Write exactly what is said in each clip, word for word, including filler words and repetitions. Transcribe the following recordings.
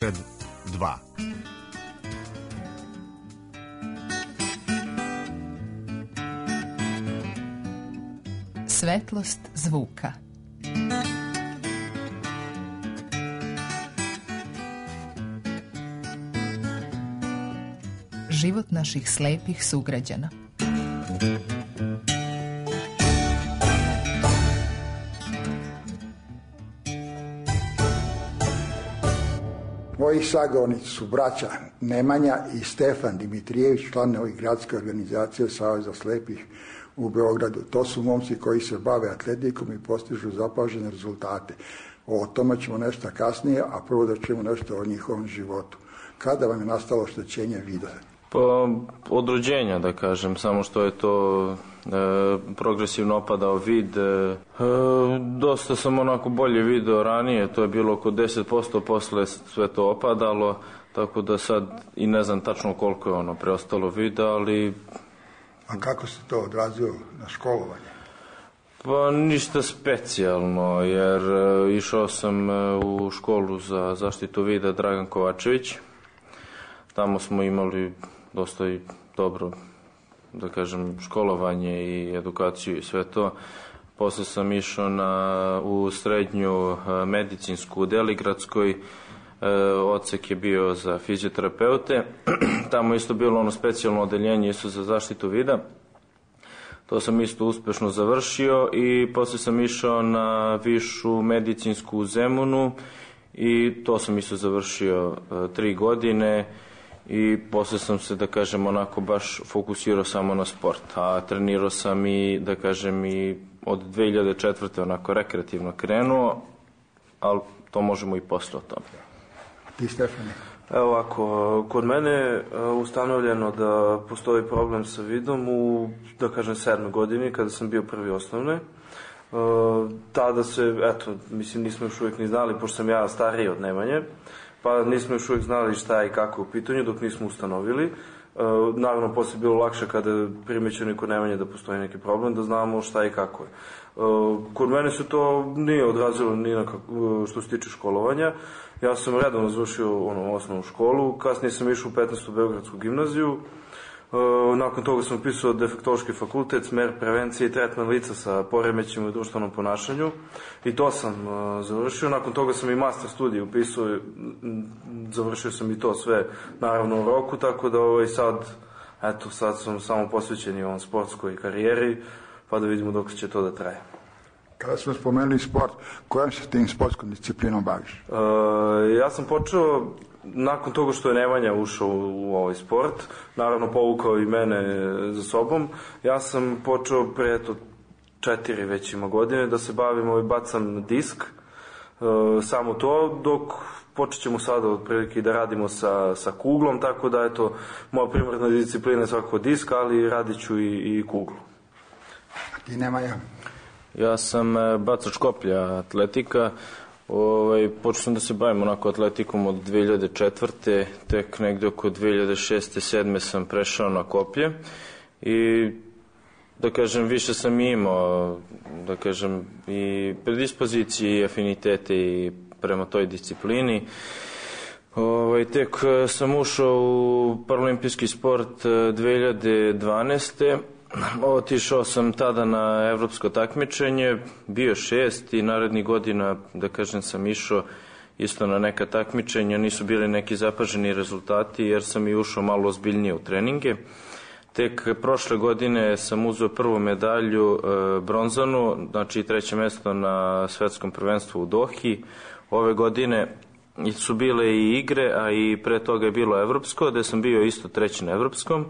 dva. Svetlost zvuka. Život naših slepih sugrađana. Moji sagovornici su braća Nemanja i Stefan Dimitrijević, članovi gradske organizacije Saveza slepih u Beogradu. To su momci koji se bave atletikom i postižu zapažene rezultate. O tome ćemo nešto kasnije, a prvo da ćemo nešto o njihovom životu. Kada vam je nastalo oštećenje vida? Pa od rođenja, da kažem, samo što je to e, progresivno opadao vid. E, dosta sam onako bolje video ranije, to je bilo oko deset posto, posle sve to opadalo, tako da sad i ne znam tačno koliko je ono preostalo vida, ali... A kako se to odrazilo na školovanje? Pa ništa specijalno, jer e, išao sam e, u školu za zaštitu vida Dragan Kovačević. Tamo smo imali dosta i dobro, da kažem, školovanje i edukaciju i sve to. Posle sam išao na, u srednju medicinsku u Deligradskoj, e, odsek je bio za fizioterapeute. Tamo isto bilo ono specijalno odeljenje isto za zaštitu vida. To sam isto uspešno završio i posle sam išao na višu medicinsku u Zemunu i to sam isto završio e, tri godine. I posle sam se, da kažem, onako baš fokusirao samo na sport, a trenirao sam i, da kažem, i od dve hiljade četvrte onako rekreativno krenuo, ali to možemo i posle o tome. A ti, Stefane? Evo ovako, kod mene je ustanovljeno da postoji problem sa vidom u, da kažem, sedmoj godini, kada sam bio prvi osnovne. Tada se, eto, mislim, nismo još uvijek ni znali, pošto sam ja stariji od Nemanje, pa nismo još uvijek znali šta i kako je u pitanju dok nismo ustanovili. E, naravno, posle je bilo lakše kada je primećeno i kod Nemanje da postoji neki problem, da znamo šta i kako je. E, kod mene se to nije odrazilo ni na kako, što se tiče školovanja. Ja sam redovno završio ono, osnovnu školu, kasnije sam išao u petnaestu Beogradsku gimnaziju. E, nakon toga sam upisao defektološki fakultet, smer prevencije i tretman lica sa poremećima u društvenom ponašanju i to sam e, završio. Nakon toga sam i master studij upisao, završio sam i to sve naravno u roku, tako da ovaj, sad, eto, sad sam samo posvećen i ovom sportskoj karijeri, pa da vidimo dok će to da traje. Kada smo spomenuli sport, kojom se tim sportskom disciplinom baviš? E, ja sam počeo nakon toga što je Nemanja ušao u, u ovaj sport, naravno povukao i mene za sobom. Ja sam počeo pre eto četiri već ima godine da se bavim, ovaj, bacam disk, e, samo to, dok počet ćemo sada otprilike da radimo sa, sa kuglom, tako da eto, moja primarna disciplina je svakako disk, ali radit ću i, i kuglu. A ti, Nemanja? Ja sam bacač koplja, atletika. Ovaj, počeo sam da se bavim onako atletikom od dve hiljade četvrte. Tek negde oko dve hiljade šeste sedme sam prešao na koplje i, da kažem, više sam imao, da kažem, i predispozicije i afinitete i prema toj disciplini. Ovaj, tek sam ušao u paralimpijski sport dve hiljade dvanaeste. Otišao sam tada na evropsko takmičenje, bio šest i narednih godina, da kažem, sam išao isto na neka takmičenja, nisu bili neki zapaženi rezultati jer sam i ušao malo ozbiljnije u treninge. Tek prošle godine sam uzeo prvu medalju, e, bronzanu, znači treće mesto na svetskom prvenstvu u Dohi. Ove godine su bile i igre, a i pre toga je bilo evropsko, gde sam bio isto treći na evropskom.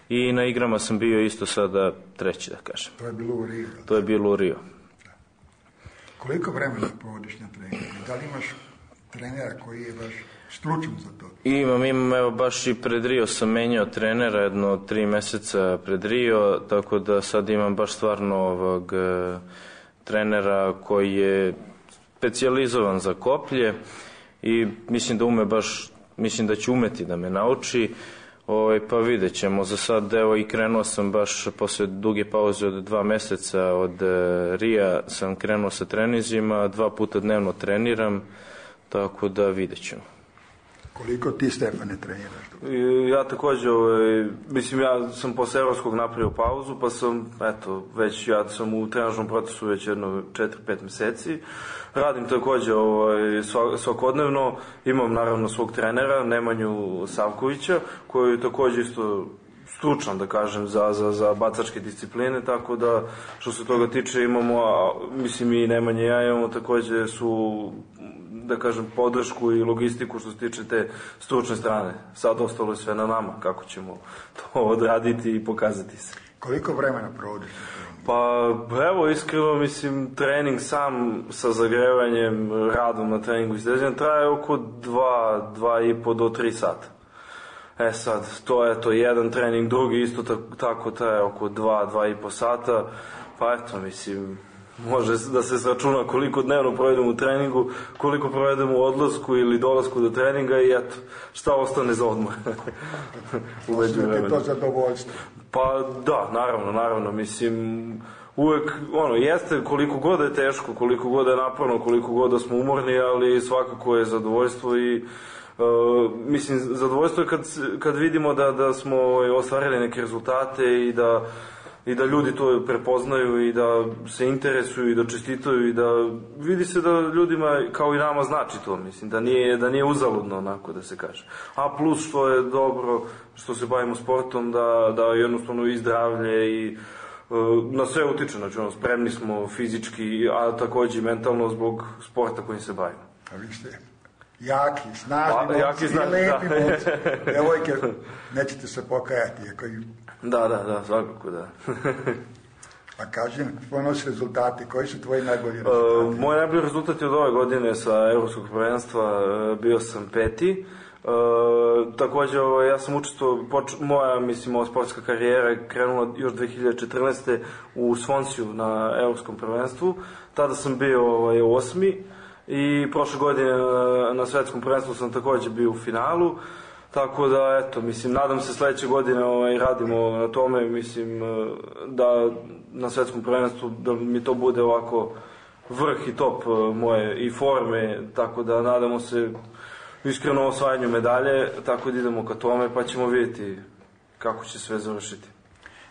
I na igrama sam bio isto sada treći, da kažem. To je bilo u Rio. To je bilo u Rio. Koliko vremena povodiš na treningu? Da li imaš trenera koji je baš stručan za to? Imam, imam, evo baš i pred Rio sam menjao trenera jedno tri meseca pred Rio, tako da sad imam baš stvarno ovog e, trenera koji je specijalizovan za koplje i mislim da ume baš, mislim da će umeti da me nauči. Ovaj, pa vidjet ćemo. Za sad, evo, i krenuo sam baš posle duge pauze od dva meseca od e, Rija sam krenuo sa trenizima, dva puta dnevno treniram, tako da vidjet ćemo. Koliko ti, Stefane, treniraš? Ja također, ovaj, mislim, ja sam posle evropskog napravio pauzu, pa sam, eto, već, ja sam u trenažnom procesu već jedno četiri pet meseci. Radim također ovaj, svakodnevno, imam naravno svog trenera, Nemanju Savkovića, koji je također isto stručan, da kažem, za, za, za bacačke discipline, tako da, što se toga tiče, imamo, a, mislim, i Nemanja i ja imamo također su, da kažem, podršku i logistiku što se tiče te stručne strane. Sad ostalo je sve na nama, kako ćemo to odraditi i pokazati se. Koliko vremena provodiš? Pa, evo, iskreno, mislim, trening sam sa zagrevanjem, radom na treningu i stezanjem traje oko dva, dva i po do tri sata. E sad, to je to jedan trening, drugi isto tako, tako traje oko dva, dva i po sata, pa eto, mislim, može da se sračuna koliko dnevno provedemo u treningu, koliko provedemo u odlasku ili dolasku do treninga i eto, šta ostane za odmor. Osnovite to zadovoljstvo. Pa da, naravno, naravno, mislim, uvek, ono, jeste koliko god je teško, koliko god je naporno, koliko god da smo umorni, ali svakako je zadovoljstvo i Uh, mislim, zadovoljstvo je kad, kad vidimo da, da smo ostvarili neke rezultate i da, i da ljudi to prepoznaju i da se interesuju i da čestitaju i da vidi se da ljudima kao i nama znači to, mislim, da nije, da nije uzaludno, onako da se kaže. A plus što je dobro, što se bavimo sportom, da, da jednostavno i zdravlje i uh, na sve utiče, znači ono, spremni smo fizički, a također i mentalno zbog sporta kojim se bavimo. A vi ste jaki, snažni pa, momci i lepi momci. Devojke, nećete se pokajati. I... Da, da, da, svakako da. A kažem, ponosi rezultati, koji su tvoji najbolji rezultati? Uh, moj najbolji rezultat je od ove godine sa Evropskog prvenstva, uh, bio sam peti. Uh, također, uh, ja sam učestvovao, moja, mislim, ova sportska karijera je krenula još dve hiljade četrnaeste. u Svonsiju na Evropskom prvenstvu. Tada sam bio ovaj, osmi. I prošle godine na svetskom prvenstvu sam također bio u finalu, tako da, eto, mislim, nadam se sledeće godine ovaj, radimo na tome, mislim, da na svetskom prvenstvu da mi to bude ovako vrh i top moje i forme, tako da nadamo se iskreno osvajanju medalje, tako da idemo ka tome, pa ćemo vidjeti kako će sve završiti.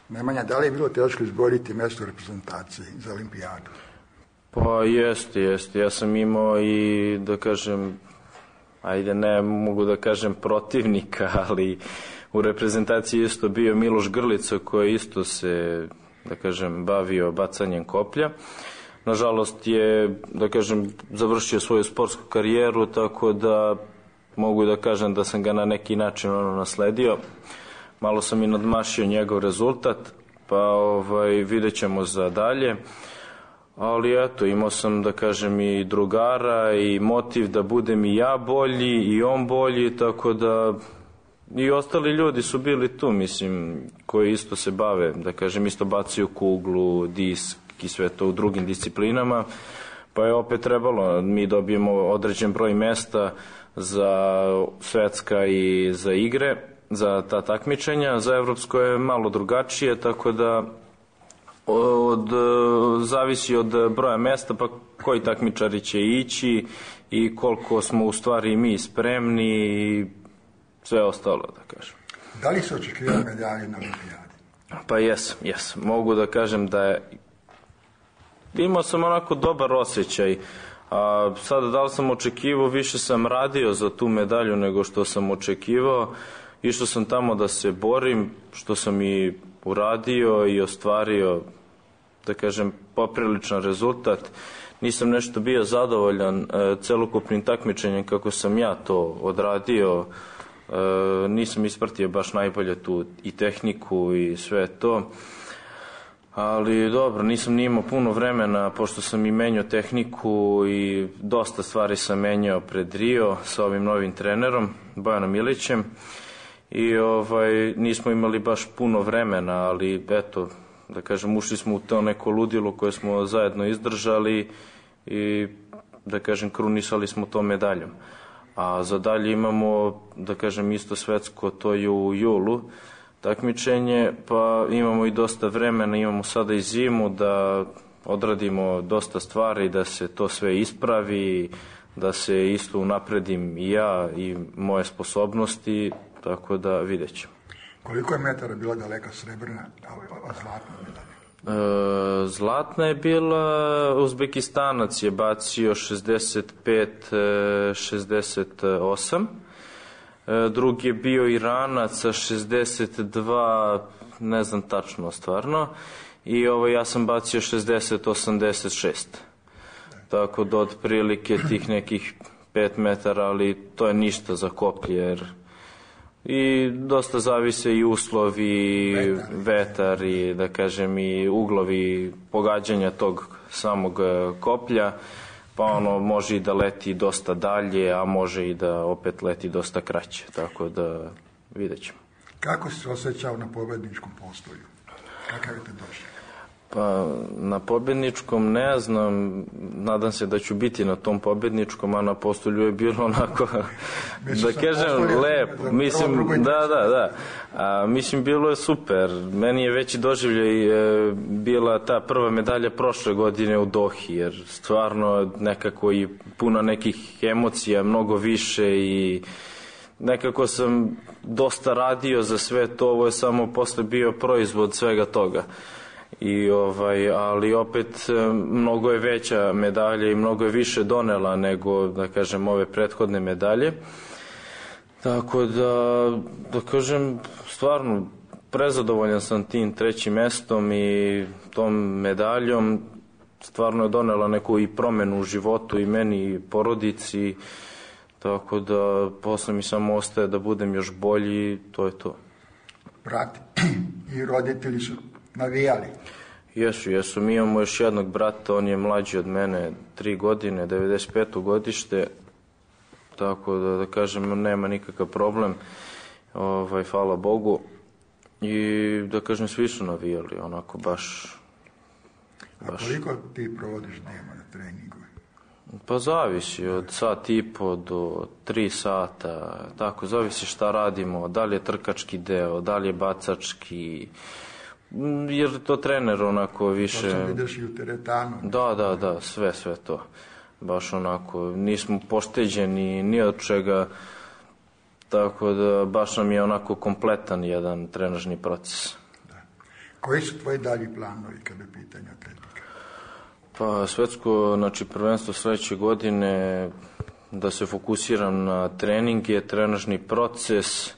Nemanja, da li je bilo teško izboriti mjesto u reprezentaciji za olimpijadu? Pa jeste, jeste. Ja sam imao i, da kažem, ajde ne mogu da kažem protivnika, ali u reprezentaciji isto bio Miloš Grlica koji isto se, da kažem, bavio bacanjem koplja. Nažalost je, da kažem, završio svoju sportsku karijeru, tako da mogu da kažem da sam ga na neki način ono nasledio. Malo sam i nadmašio njegov rezultat, pa ovaj, vidjet ćemo za dalje. Ali eto, imao sam, da kažem, i drugara i motiv da budem i ja bolji i on bolji, tako da i ostali ljudi su bili tu, mislim, koji isto se bave, da kažem, isto bacaju kuglu, disk i sve to u drugim disciplinama, pa je opet trebalo, mi dobijemo određen broj mesta za svetska i za igre, za ta takmičenja, za evropsko je malo drugačije, tako da Od, zavisi od broja mesta, pa koji takmičari će ići i koliko smo u stvari mi spremni i sve ostalo, da kažem. Da li se očekivali medalje na olimpijadi? Pa jesam, jesam. Mogu da kažem da je imao sam onako dobar osjećaj. A sada da li sam očekivao, više sam radio za tu medalju nego što sam očekivao. Išao sam tamo da se borim, što sam i uradio i ostvario, da kažem, popriličan rezultat. Nisam nešto bio zadovoljan e, celokupnim takmičenjem kako sam ja to odradio. E, nisam ispratio baš najbolje tu i tehniku i sve to. Ali dobro, nisam ni imao puno vremena, pošto sam i menjao tehniku i dosta stvari sam menjao pred Rio sa ovim novim trenerom, Bojanom Ilićem. I ovaj, nismo imali baš puno vremena, ali eto, da kažem, ušli smo u to neko ludilo koje smo zajedno izdržali i, da kažem, krunisali smo to medaljom. A za dalje imamo, da kažem, isto svetsko, to je u julu takmičenje, pa imamo i dosta vremena, imamo sada i zimu da odradimo dosta stvari, da se to sve ispravi, da se isto unapredim i ja i moje sposobnosti, tako da vidjet ćemo. Koliko je metara bila daleka srebrna, a zlatna medalja? E, zlatna je bila, Uzbekistanac je bacio šezdeset pet šezdeset osam, e, drugi je bio Iranac sa šezdeset dva, ne znam tačno stvarno, i ovo, ja sam bacio šezdeset osamdeset šest. Tako da otprilike tih nekih pet metara, ali to je ništa za koplje, jer i dosta zavise i uslovi, vetar, vetar i da kažem i uglovi pogađanja tog samog koplja, pa ono može i da leti dosta dalje, a može i da opet leti dosta kraće, tako da vidjet ćemo. Kako si se osjećao na pobedničkom postolju? Kakav je te došao? Pa na pobedničkom ne znam, nadam se da ću biti na tom pobedničkom, a na postolju je bilo onako, da kažem, lepo, mislim, da, da, da, a, mislim, bilo je super, meni je veći doživljaj e, bila ta prva medalja prošle godine u Dohi, jer stvarno nekako i puno nekih emocija, mnogo više i nekako sam dosta radio za sve to, ovo je samo posle bio proizvod svega toga. I ovaj, ali opet mnogo je veća medalja i mnogo je više donela nego, da kažem, ove prethodne medalje. Tako da, da kažem, stvarno prezadovoljan sam tim trećim mestom i tom medaljom. Stvarno je donela neku i promenu u životu i meni i porodici. Tako da posle mi samo ostaje da budem još bolji i to je to. Brat i roditelji su navijali? Jesu, jesu. Mi imamo još jednog brata, on je mlađi od mene tri godine, devedeset peto godište, tako da, da kažem, nema nikakav problem, ovaj, hvala Bogu. I da kažem, svi su navijali, onako baš... baš. A koliko ti provodiš dnevno na treningu? Pa zavisi, od sat i po do tri sata, tako, zavisi šta radimo, da li je trkački deo, da li je bacački... jer to trener onako više... To sam vidiš i u teretanu. Da, da, da, sve, sve to. Baš onako, nismo pošteđeni ni od čega, tako da baš nam je onako kompletan jedan trenažni proces. Da. Koji su tvoji dalji planovi kada je pitanje atletika? Pa svetsko, znači prvenstvo sledeće godine, da se fokusiram na treninge, trenažni proces,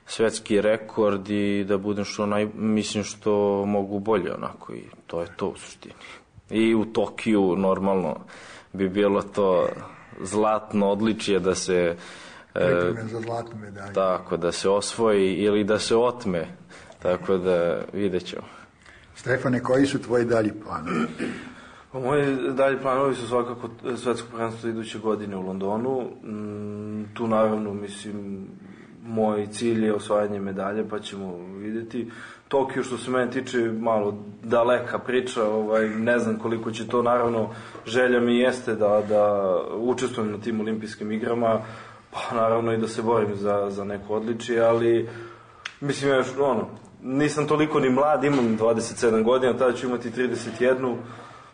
svetski rekord i da budem što naj, mislim što mogu bolje onako i to je to u suštini. I u Tokiju normalno bi bilo to zlatno odličje da se pripreme za zlatnu medalju. Tako, da se osvoji ili da se otme, tako da vidjet ćemo. Stefane, koji su tvoji dalji planovi? Pa moji dalji planovi su svakako svetsko prvenstvo iduće godine u Londonu. Tu naravno, mislim, moj cilj je osvajanje medalje, pa ćemo vidjeti. Tokio, što se mene tiče, malo daleka priča, ovaj, ne znam koliko će to, naravno, želja mi jeste da, da učestvujem na tim olimpijskim igrama, pa naravno i da se borim za, za neko odličje, ali mislim, ja, ono, nisam toliko ni mlad, imam dvadeset sedam godina, tada ću imati trideset jedan,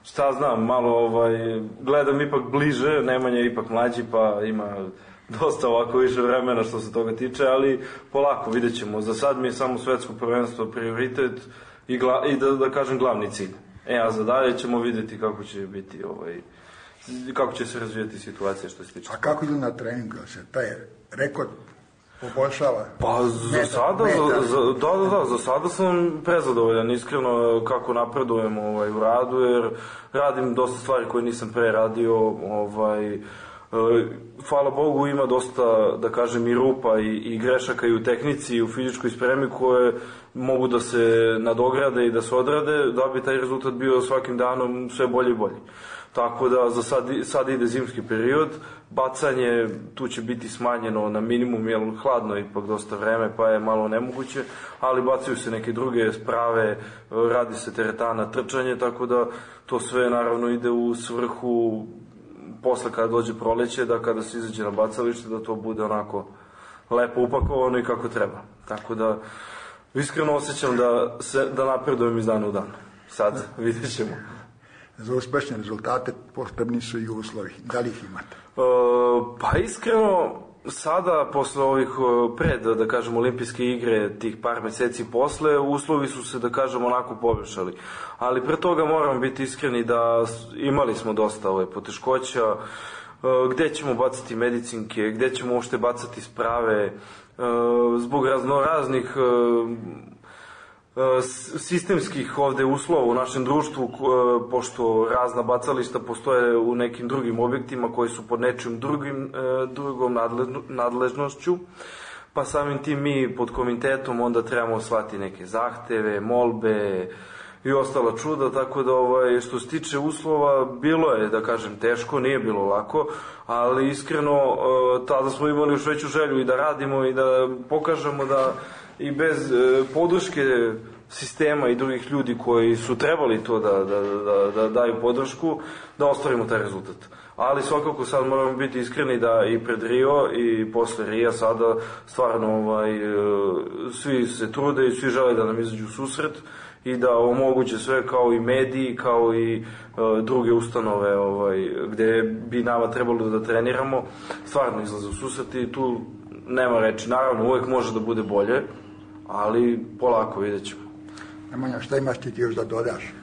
šta znam, malo ovaj, gledam ipak bliže, Nemanja je ipak mlađi, pa ima dosta ovako više vremena što se toga tiče, ali polako vidjet ćemo. Za sad mi je samo svetsko prvenstvo prioritet i, gla, i da, da kažem glavni cilj. E, a za dalje ćemo vidjeti kako će biti ovaj, kako će se razvijati situacija što se tiče. A kako ide na treningu? Se taj rekord poboljšava? Pa za metar, sada, metar. Za, da, da, da, za sada sam prezadovoljan, iskreno, kako napredujem ovaj, u radu, jer radim dosta stvari koje nisam pre radio, ovaj, hvala Bogu, ima dosta, da kažem, i rupa i, i grešaka i u tehnici i u fizičkoj spremi koje mogu da se nadograde i da se odrade, da bi taj rezultat bio svakim danom sve bolji i bolji. Tako da za sad, sad ide zimski period, bacanje tu će biti smanjeno na minimum, jer hladno je ipak dosta vreme, pa je malo nemoguće, ali bacaju se neke druge sprave, radi se teretana, trčanje, tako da to sve naravno ide u svrhu posle kada dođe proleće, da kada se izađe na bacalište, da to bude onako lepo upakovano i kako treba. Tako da iskreno osjećam da, se, da napredujem iz dana u dan. Sad vidjet ćemo. Za uspešne rezultate potrebni su i uslovi. Da li ih imate? E, pa iskreno, sada, posle ovih pred, da kažem, olimpijske igre, tih par meseci posle, uslovi su se, da kažem, onako poboljšali. Ali pre toga moramo biti iskreni da imali smo dosta ove poteškoća, gde ćemo bacati medicinke, gde ćemo uopšte bacati sprave, zbog raznoraznih sistemskih ovde uslova u našem društvu, pošto razna bacališta postoje u nekim drugim objektima koji su pod nečim drugim, drugom nadležnošću, pa samim tim mi pod komitetom onda trebamo slati neke zahteve, molbe i ostala čuda, tako da ovaj, što se tiče uslova, bilo je, da kažem, teško, nije bilo lako, ali iskreno tada smo imali još veću želju i da radimo i da pokažemo da i bez e, podrške sistema i drugih ljudi koji su trebali to da, da, da, da daju podršku, da ostvarimo taj rezultat. Ali svakako sad moramo biti iskreni da i pred Rio i posle Rija sada stvarno ovaj, e, svi se trude i svi žele da nam izađu u susret i da omoguće sve, kao i mediji, kao i e, druge ustanove ovaj, gde bi nama trebalo da treniramo, stvarno izlaze u susret i tu nema reči. Naravno, uvek može da bude bolje, ali polako vidjet ćemo. Nemanja, šta imaš ti još da dodaš?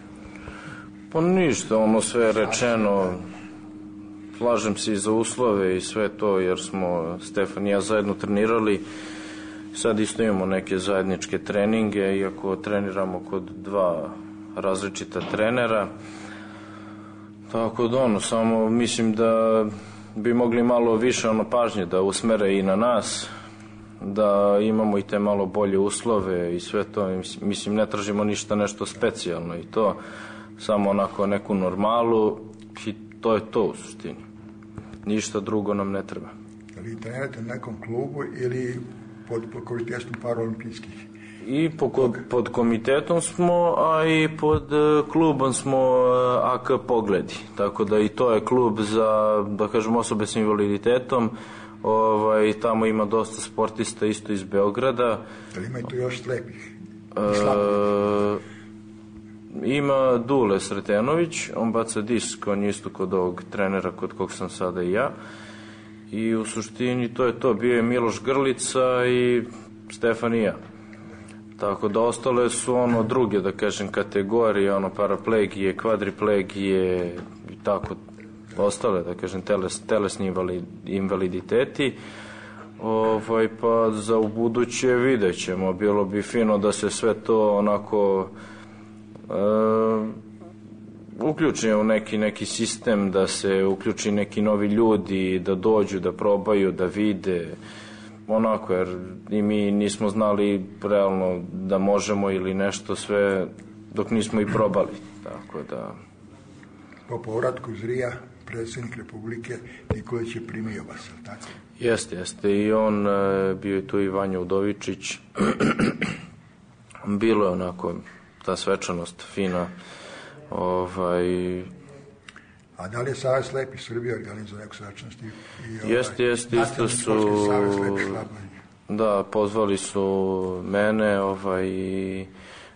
Pa ništa, ono sve je rečeno. Slažem se i za uslove i sve to, jer smo Stefan i ja zajedno trenirali. Sad isto imamo neke zajedničke treninge, iako treniramo kod dva različita trenera. Tako da ono, samo mislim da bi mogli malo više ono pažnje da usmere i na nas, da imamo i te malo bolje uslove i sve to. Mislim, ne tražimo ništa nešto specijalno i to, samo onako neku normalu i to je to u suštini. Ništa drugo nam ne treba. Ali trenirate na nekom klubu ili pod, pod komitetom paraolimpijskih? I po, pod komitetom smo, a i pod klubom smo A K Pogledi. Tako da i to je klub za, da kažem, osobe s invaliditetom. Ovaj, tamo ima dosta sportista isto iz Beograda. Ali ima i tu još slepih? E, ima Dule Sretenović, on baca disk, on je isto kod ovog trenera kod kog sam sada i ja. I u suštini to je to, bio je Miloš Grlica i Stefan i ja. Tako da ostale su ono druge, da kažem, kategorije, ono paraplegije, kvadriplegije i tako ostale, da kažem, teles, telesni invalid, invaliditeti. Ovaj, pa za u buduće vidjet ćemo, bilo bi fino da se sve to onako e, uključi u neki, neki sistem, da se uključi neki novi ljudi, da dođu, da probaju, da vide, onako, jer i mi nismo znali realno da možemo ili nešto sve dok nismo i probali, tako da... Po povratku iz Rija, predsjednik Republike Nikolić je primio vas, tako? Jeste, jeste, i on, bio je tu i Vanja Udovičić, bilo je onako ta svečanost fina, ovaj... A da li je Savez slepih Srbije organizao neku svečanost? Ovaj, jeste, jeste, isto su... Da, pozvali su mene, ovaj, i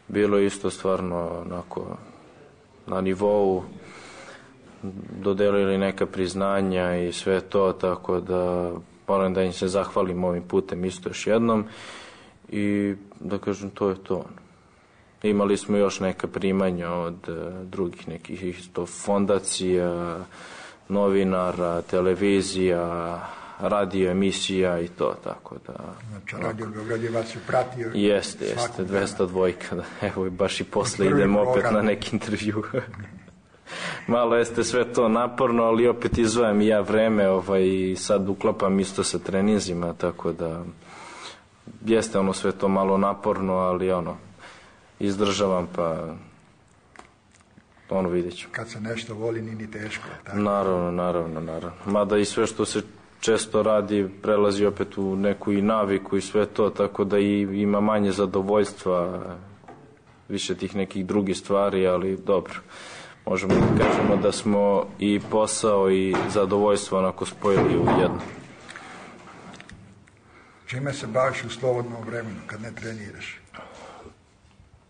bilo je isto stvarno onako na nivou, dodelili neka priznanja i sve to, tako da moram da im se zahvalim ovim putem isto još jednom i da kažem, to je to. Imali smo još neka primanja od drugih nekih isto fondacija, novinara, televizija, radio emisija i to, tako da... Znači, Radio Beograd je vas pratio? Jeste, jeste, dvesta dvojka, da, evo baš i posle idem opet na neki intervju. Malo jeste sve to naporno, ali opet izdvajam i ja vreme, ovaj, i sad uklapam isto sa treninzima, tako da jeste ono sve to malo naporno, ali ono, izdržavam, pa ono vidjet ću. Kad se nešto voli, nije ni teško. Tako? Naravno, naravno, naravno. Mada i sve što se često radi prelazi opet u neku i naviku i sve to, tako da i ima manje zadovoljstva, više tih nekih drugih stvari, ali dobro. Možemo da kažemo da smo i posao i zadovoljstvo onako spojili u jedno. Čime se baviš u slobodnom vremenu kad ne treniraš?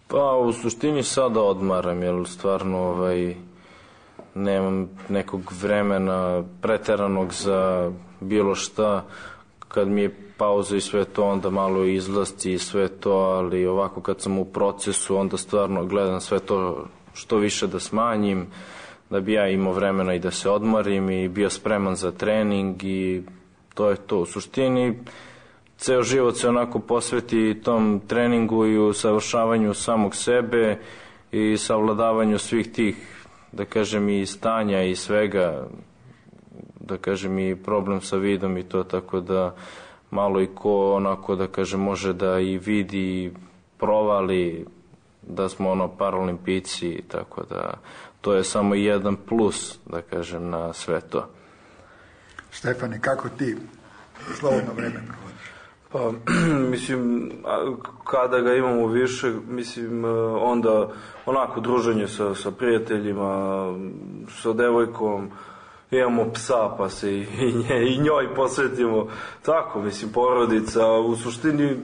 Pa u suštini sada odmaram, jer stvarno ovaj, nemam nekog vremena preteranog za bilo šta. Kad mi je pauza i sve to, onda malo izlasti i sve to, ali ovako kad sam u procesu, onda stvarno gledam sve to što više da smanjim, da bi ja imao vremena i da se odmorim i bio spreman za trening i to je to. U suštini, ceo život se onako posveti tom treningu i usavršavanju samog sebe i savladavanju svih tih, da kažem, i stanja i svega, da kažem, i problem sa vidom i to, tako da malo i ko onako, da kažem, može da i vidi i provali da smo ono paraolimpijci, tako da to je samo jedan plus, da kažem, na sve to. Stefane, kako ti slobodno vreme provodiš? Pa, mislim, kada ga imamo više, mislim, onda onako druženje sa, sa prijateljima, sa devojkom, imamo psa pa se i, nje, i njoj posvetimo, tako, mislim, porodica, u suštini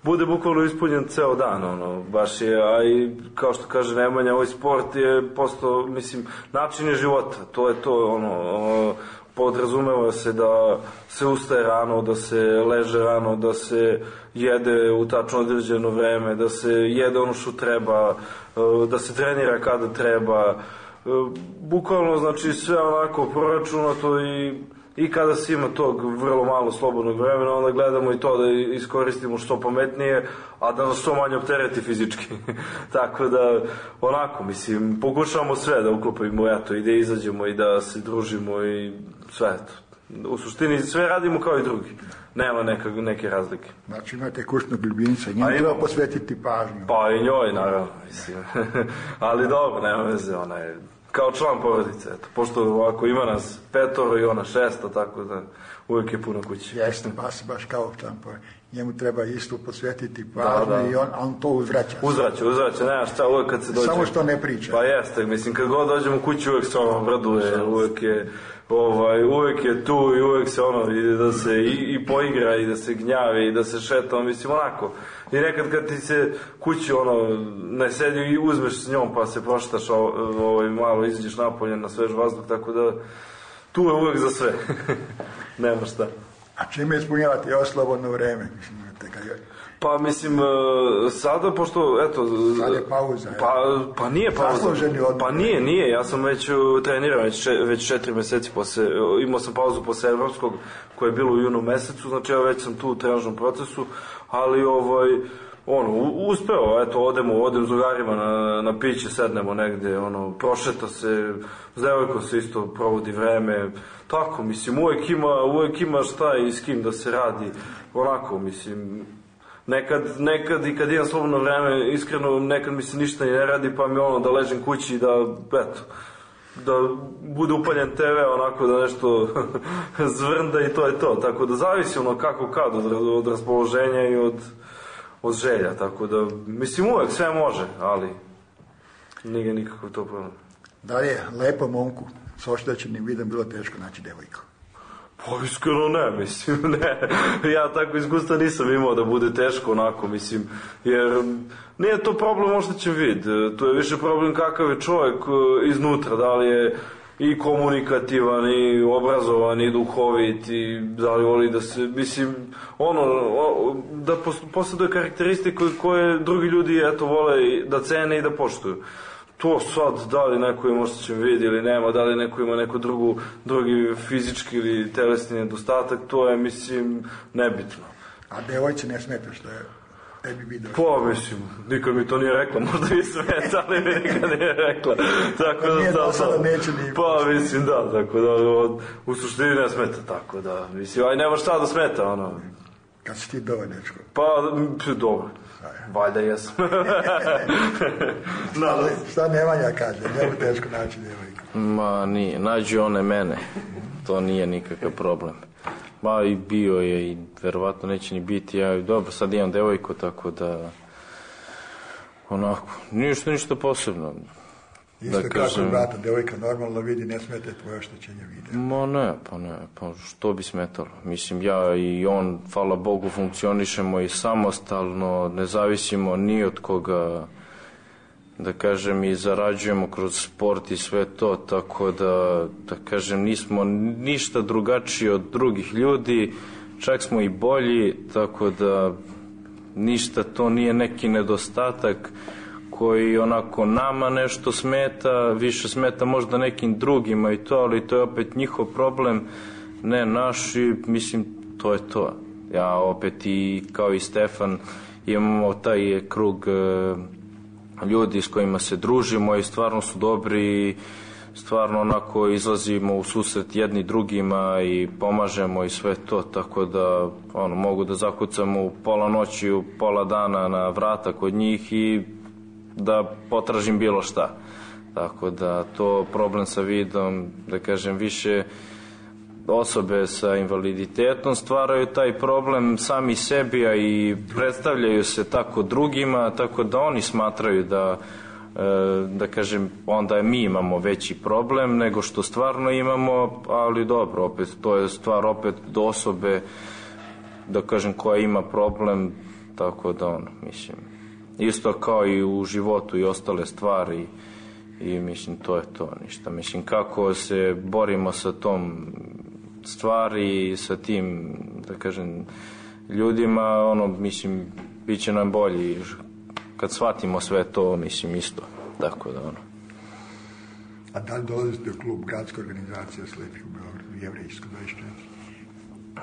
bude bukvalno ispunjen ceo dan, ono, baš je, a i kao što kaže Nemanja, ovaj sport je postao, mislim, način je života, to je to, ono, podrazumeva se da se ustaje rano, da se leže rano, da se jede u tačno određeno vreme, da se jede ono što treba, da se trenira kada treba, bukvalno, znači, sve onako proračunato i I kada se ima tog vrlo malo slobodnog vremena, onda gledamo i to da iskoristimo što pametnije, a da nas što manje optereti fizički. Tako da, onako, mislim, pokušavamo sve da uklopimo, eto, i da izađemo i da se družimo i sve, eto. U suštini sve radimo kao i drugi. Nema neka, neke razlike. Znači imate kućnog ljubimca, njemu treba posvetiti pažnju. Pa i njoj, naravno, mislim. Ali dobro, nema veze, ona je kao član porodice, eto, pošto ovako ima nas petoro i ona šesto, tako da uvijek je puno kući. Jeste, baš, baš kao član porodice. Njemu treba isto posvetiti pažnju, da, da. I on, on to uzvraća. Uzvraća, uzvraća, nema šta, uvijek kad se dođe. Samo što ne priča. Pa jeste, mislim, kad god dođemo u kući uvijek se ono obraduje, uvijek je, ovaj, uvijek je tu i uvijek se ono, ide da se i, i poigra i da se gnjavi i da se šeta, mislim, onako. I nekad kad ti se kući ono ne sedi i uzmeš s njom pa se proštaš, ovaj, malo izađeš napolje na svež vazduh, tako da tu je uvijek za sve. Nema šta. A čime ispunjavate ovo slobodno vreme? Mislim, je... Pa mislim, sada, pošto, eto... Sad je pauza. Pa, pa nije pauza. Pa nije, nije. Ja sam već trenirao već, već četiri meseci posle, imao sam pauzu posle evropskog koje je bilo u junu mesecu, znači ja već sam tu u trenažnom procesu, ali ovaj, ono, uspeo, eto, odemo, odem s drugarima na, na piće, sednemo negde, ono, prošeta se, s devojkom se isto provodi vreme, tako, mislim, uvek ima, uvek ima šta i s kim da se radi, onako, mislim, nekad, nekad i kad imam slobodno vreme, iskreno, nekad mi se ništa ne radi, pa mi ono, da ležem kući i da, eto, da bude upaljen te ve, onako da nešto zvrnda i to je to, tako da zavisi ono kako kad, od, od raspoloženja i od, od želja, tako da, mislim, uvek sve može, ali nije nikakav to problem. Da li je lepo momku s oštećenim vidom bilo teško naći devojku? Pa iskreno ne, mislim, ne. Ja tako iskustva nisam imao da bude teško onako, mislim, jer nije to problem oštećen vid, to je više problem kakav je čovjek iznutra, da li je i komunikativan, i obrazovan, i duhovit, i da li voli da se, mislim, ono, da posjeduje karakteristike koje drugi ljudi, eto, vole da cene i da poštuju. To sad, da li neko ima oštećen vid ili nema, da li neko ima neku drugu, drugi fizički ili telesni nedostatak, to je, mislim, nebitno. A devojče ne smeta što je tebi video? Pa, mislim, nikad mi to nije rekla, možda mi smeta, ali mi nikad nije rekla. Tako da, nije da, do sada neće ni... Pa, mislim, da, tako da, u suštini ne smeta, tako da, mislim, aj nema šta da smeta, ono. Kad si ti dovoljno, dečko? Pa, dobro. Valjda jesam. no, šta Nemanja kaže, njemu teško naći devojku? Ma nije, nađu one mene, to nije nikakav problem. Ma i bio je i verovatno neće ni biti, ja dobro sad imam devojku, tako da onako, ništa, ništa posebno. Isto da, kako kažem, brata, devojka normalno vidi, ne smete tvoje oštećenje videa. Ma ne, pa ne, pa što bi smetalo. Mislim, ja i on, hvala Bogu, funkcionišemo i samostalno, ne zavisimo ni od koga, da kažem, i zarađujemo kroz sport i sve to, tako da, da kažem, nismo ništa drugačiji od drugih ljudi, čak smo i bolji, tako da ništa to nije neki nedostatak koji onako nama nešto smeta, više smeta možda nekim drugima i to, ali to je opet njihov problem, ne naš, i mislim, to je to. Ja opet i kao i Stefan imamo taj krug ljudi s kojima se družimo i stvarno su dobri, stvarno onako izlazimo u susret jedni drugima i pomažemo i sve to, tako da ono, mogu da zakucam u pola noći, u pola dana na vrata kod njih i da potražim bilo šta. Tako da to problem sa vidom, da kažem, više osobe sa invaliditetom stvaraju taj problem sami sebi, a i predstavljaju se tako drugima, tako da oni smatraju da, da kažem, onda mi imamo veći problem nego što stvarno imamo, ali dobro, opet, to je stvar opet do osobe, da kažem, koja ima problem, tako da ono, mislim, isto kao i u životu i ostale stvari i mislim, to je to, ništa. Mislim, kako se borimo sa tom stvari, sa tim, da kažem, ljudima, ono, mislim, bit će nam bolji kad shvatimo sve to, mislim, isto, tako da, ono. A da li dolazite u klub Gradske organizacije slepih u Beogradu, Jevrejsko dvadeset četiri?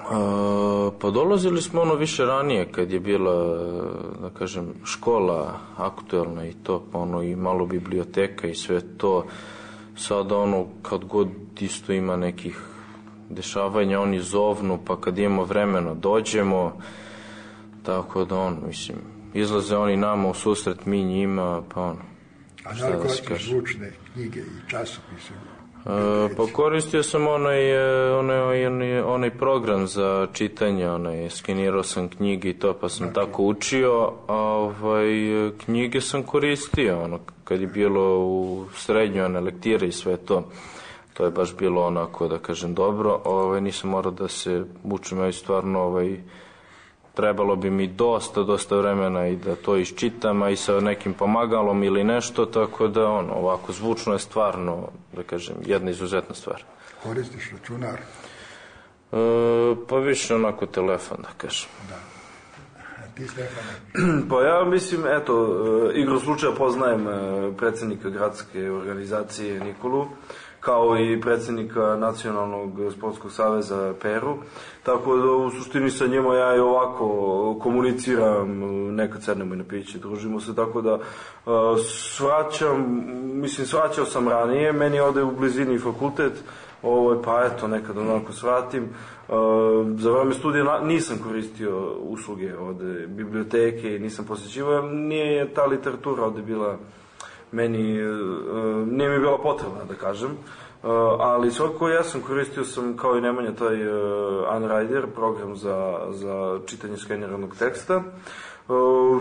A, pa dolazili smo ono više ranije, kad je bila, da kažem, škola aktuelna i to, pa ono, i malo biblioteka i sve to. Sada, ono, kad god isto ima nekih dešavanja, oni zovnu, pa kad imamo vremena dođemo, tako da ono, mislim, izlaze oni nama u susret, mi njima, pa ono. A da li koristite zvučne knjige i časopise? E, pa koristio sam onaj, onaj, onaj, onaj program za čitanje, onaj, skenirao sam knjige i to, pa sam znači tako učio, a ovaj, knjige sam koristio, ono, kad je bilo u srednjoj one lektire i sve to. To je baš bilo onako, da kažem, dobro. Ovaj, nisam morao da se učim, ja stvarno, ovaj, trebalo bi mi dosta, dosta vremena i da to iščitam, a i sa nekim pomagalom ili nešto, tako da, ono, ovako, zvučno je stvarno, da kažem, jedna izuzetna stvar. Koristiš računar? E, pa više onako telefon, da kažem. Da. A ti, Stefane? Pa ja mislim, eto, igrom slučaja poznajem predsjednika Gradske organizacije Nikolu, kao i predsjednika Nacionalnog sportskog saveza Peru, tako da u suštini sa njima ja i ovako komuniciram, nekad sednemo i na piće, družimo se, tako da svraćam, mislim, svraćao sam ranije, meni ode u blizini fakultet, ovo, pa eto, nekad onako svratim. Za vreme studija nisam koristio usluge od biblioteke i nisam posjećivao, nije ta literatura ovde bila meni, nije mi bila potrebna, da kažem, ali svakako ja sam koristio sam, kao i Nemanja, taj Unrider, program za, za čitanje skeniranog teksta,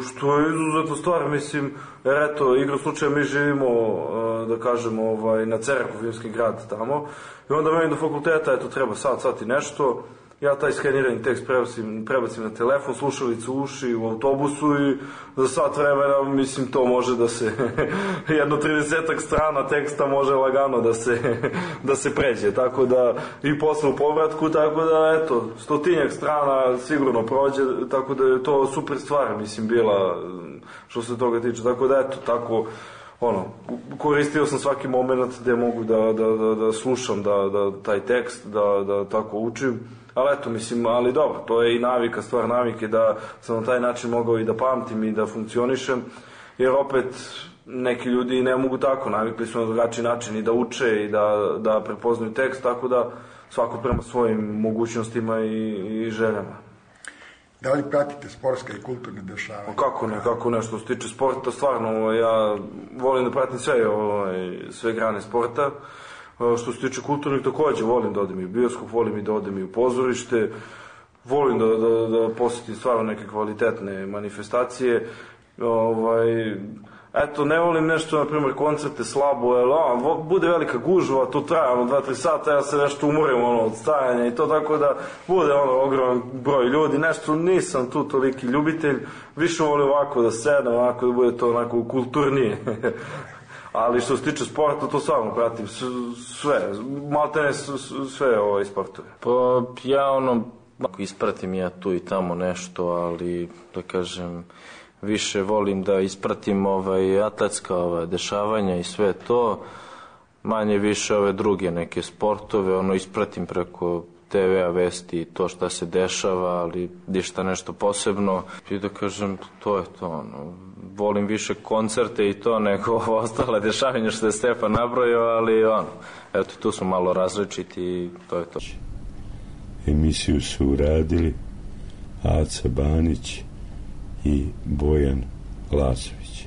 što je izuzetno stvar, mislim, jer eto, igrom slučaja mi živimo, da kažem, ovaj, na Ceraku, filmski grad tamo, i onda meni do fakulteta, eto, treba sat, sat i nešto, ja taj skenirani tekst prebacim, prebacim na telefon, slušalicu u uši, u autobusu i za sat vremena, mislim, to može da se, jedno tridesetak strana teksta može lagano da se, da se pređe, tako da, i posle u povratku, tako da, eto, stotinjak strana sigurno prođe, tako da je to super stvar, mislim, bila, što se toga tiče, tako da, eto, tako, ono, koristio sam svaki moment gde mogu da, da, da, da slušam da, da, taj tekst, da, da tako učim. Ali eto, mislim, ali dobro, to je i navika, stvar navike, da sam na taj način mogao i da pamtim i da funkcionišem, jer opet neki ljudi ne mogu tako, navikli su na drugačiji način i da uče i da, da prepoznaju tekst, tako da svako prema svojim mogućnostima i, i željama. Da li pratite sportske i kulturne dešavanja? Kako ne, kako ne, što se tiče sporta, stvarno, ja volim da pratim sve, ovaj, sve grane sporta. Što se tiče kulturnih, takođe volim da odem i u bioskop, volim i da odem i u pozorište, volim da, da, da posjetim stvarno neke kvalitetne manifestacije. Ovaj, eto, ne volim nešto, na primjer, koncerte slabo, jer ono, bude velika gužva, to traje ono dva tri sata, ja se nešto umorim ono od stajanja i to, tako da bude ono ogroman broj ljudi, nešto nisam tu toliki ljubitelj, više volim ovako da sedem, ovako da bude to onako kulturnije. Ali što se tiče sporta, to stvarno pratim sve, maltene sve ove sportove. Pa ja ono, ispratim ja tu i tamo nešto, ali da kažem, više volim da ispratim ovaj, atletska ovaj, dešavanja i sve to, manje više ove druge neke sportove, ono ispratim preko te ve a vesti i to šta se dešava, ali ništa nešto posebno. I da kažem, to je to, ono, volim više koncerte i to nego ostale dešavanja što je Stefan nabrojio, ali ono, eto, tu su malo različiti i to je to. Emisiju su uradili Aca Banić i Bojan Lazović.